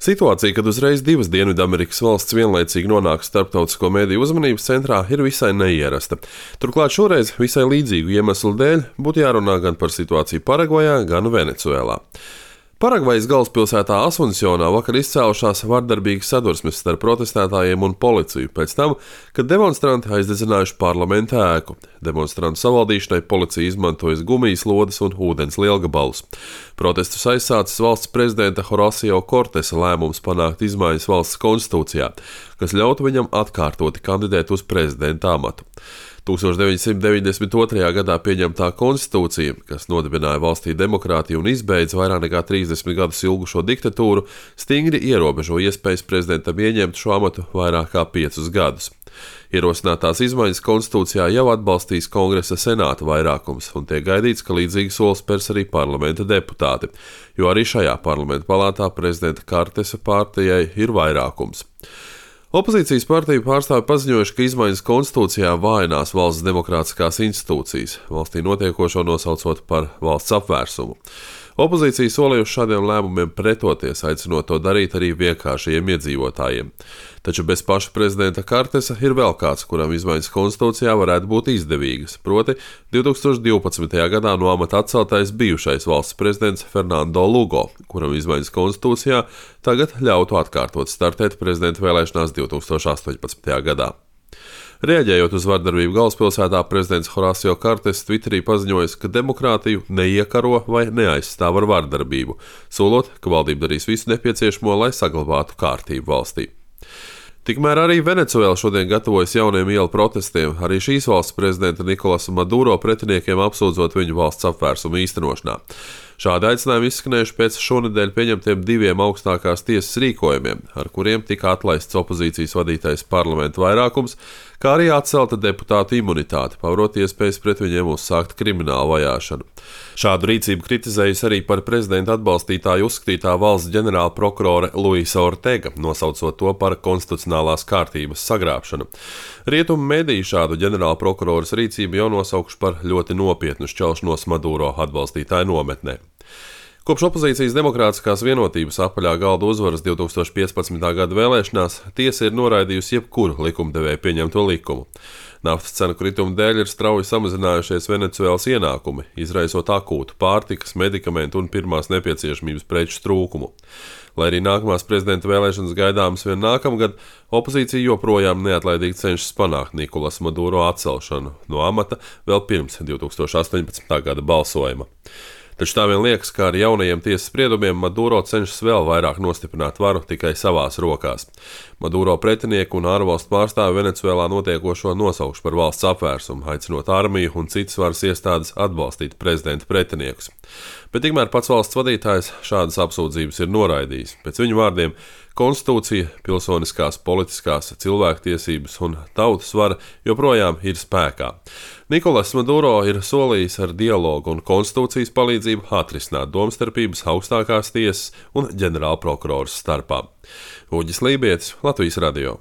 Situācija, kad uzreiz divas Dienvidamerikas valsts vienlaicīgi nonāk starptautisko mediju uzmanības centrā, ir visai neierasta. Turklāt šoreiz visai līdzīgu iemeslu dēļ būtu jārunā gan par situāciju Paragvajā, gan Venecuēlā. Paragvajas galvaspilsētā Asuncionā vakar izcēlušās vardarbīgas sadursmes starp protestētājiem un policiju pēc tam, kad demonstranti aizdedzinājuši parlamenta ēku. Demonstrantu savaldīšanai policija izmantojas gumijas lodes un ūdens lielgabalus. Protestus aizsācis valsts prezidenta Horacio Cortesa lēmums panākt izmaiņas valsts konstitūcijā, kas ļautu viņam atkārtoti kandidēt uz prezidenta amatu. 1992. gadā pieņemtā konstitūcija, kas nodibināja valstī demokrātiju un izbeidza vairāk nekā 30 gadus ilgušo diktatūru, stingri ierobežo iespējas prezidentam ieņemt šo amatu vairāk kā 5 gadus. Ierosinātās izmaiņas konstitūcijā jau atbalstīs Kongresa senāta vairākums, un tiek gaidīts, ka līdzīgi solis spērs arī parlamenta deputāti, jo arī šajā parlamenta palātā prezidenta Cortesa partijai ir vairākums. Opozīcijas partiju pārstāvi paziņojuši, ka izmaiņas konstitūcijā vājinās valsts demokrātiskās institūcijas, valstī notiekošo nosaucot par valsts apvērsumu. Opozīcija solījuši šādiem lēmumiem pretoties, aicinot to darīt arī vienkāršajiem iedzīvotājiem. Taču bez paša prezidenta Cortesa ir vēl kāds, kuram izmaiņas konstitūcijā varētu būt izdevīgas, proti 2012. gadā no amata atceltais bijušais valsts prezidents Fernando Lugo, kuram izmaiņas konstitūcijā tagad ļautu atkārtot startēt prezidenta vēlēšanās 2018. gadā. Reaģējot uz vardarbību galvaspilsētā, prezidents Horacio Cortesa Twitterī paziņoja, ka demokrātiju neiekaro vai neaizstāv ar vardarbību, solot, ka valdība darīs visu nepieciešamo, lai saglabātu kārtību valstī. Tikmēr arī Venecuēla šodien gatavojas jauniem ielu protestiem, arī šīs valsts prezidenta Nikolasa Maduro pretiniekiem apsūdzot viņu valsts apvērsumu īstenošanā. Šādi aicinājumi izskanējuši pēc šonedēļ pieņemtiem 2 augstākās tiesas rīkojumiem, ar kuriem tika atlaists opozīcijas vadītais parlamenta vairākums, kā arī atcelta deputātu imunitāte, pavarot iespējas pret viņiem uzsākt kriminālu vajāšanu. Šādu rīcību kritizējusi arī par prezidenta atbalstītāju uzskatītā valsts ģenerāla prokurore Luisa Ortega, nosaucot to par konstitucionālās kārtības sagrābšanu. Rietumu mediji šādu ģenerāla prokuroras rīcību jau nosaukuši par ļoti nopietnu šķelšanos Maduro atbalstītāju nometnē. Kopš opozīcijas demokrātiskās vienotības apaļā galda uzvaras 2015. gada vēlēšanās tiesa ir noraidījusi jebkuru likumdevēja pieņemto likumu. Naftas cenu krituma dēļ ir strauji samazinājušies Venecuēlas ienākumi, izraisot akūtu pārtikas, medikamentu un pirmās nepieciešamības preču trūkumu. Lai arī nākamās prezidenta vēlēšanas gaidāmas vien nākamgad, opozīcija joprojām neatlaidīgi cenšas panākt Nikolasa Maduro atcelšanu no amata vēl pirms 2018. gada balsojuma. Taču tā vien liekas, ka ar jaunajiem tiesas spriedumiem Maduro cenšas vēl vairāk nostiprināt varu tikai savās rokās. Maduro pretinieku un ārvalstu pārstāvi Venecuēlā notiekošo nosaukšu par valsts apvērsumu, aicinot armiju un citas varas iestādes atbalstīt prezidenta pretiniekus. Bet tikmēr pats valsts vadītājs šādas apsūdzības ir noraidījis. Pēc viņu vārdiem, konstitūcija, pilsoniskās, politiskās, cilvēktiesības un tautas vara joprojām ir spēkā. Nikolasa Maduro ir solījis ar dialogu un konstitūcijas palīdzību atrisināt domstarpības augstākās tiesas un ģenerāla prokuroras starpā. Uģis Lībietis, Latvijas radio.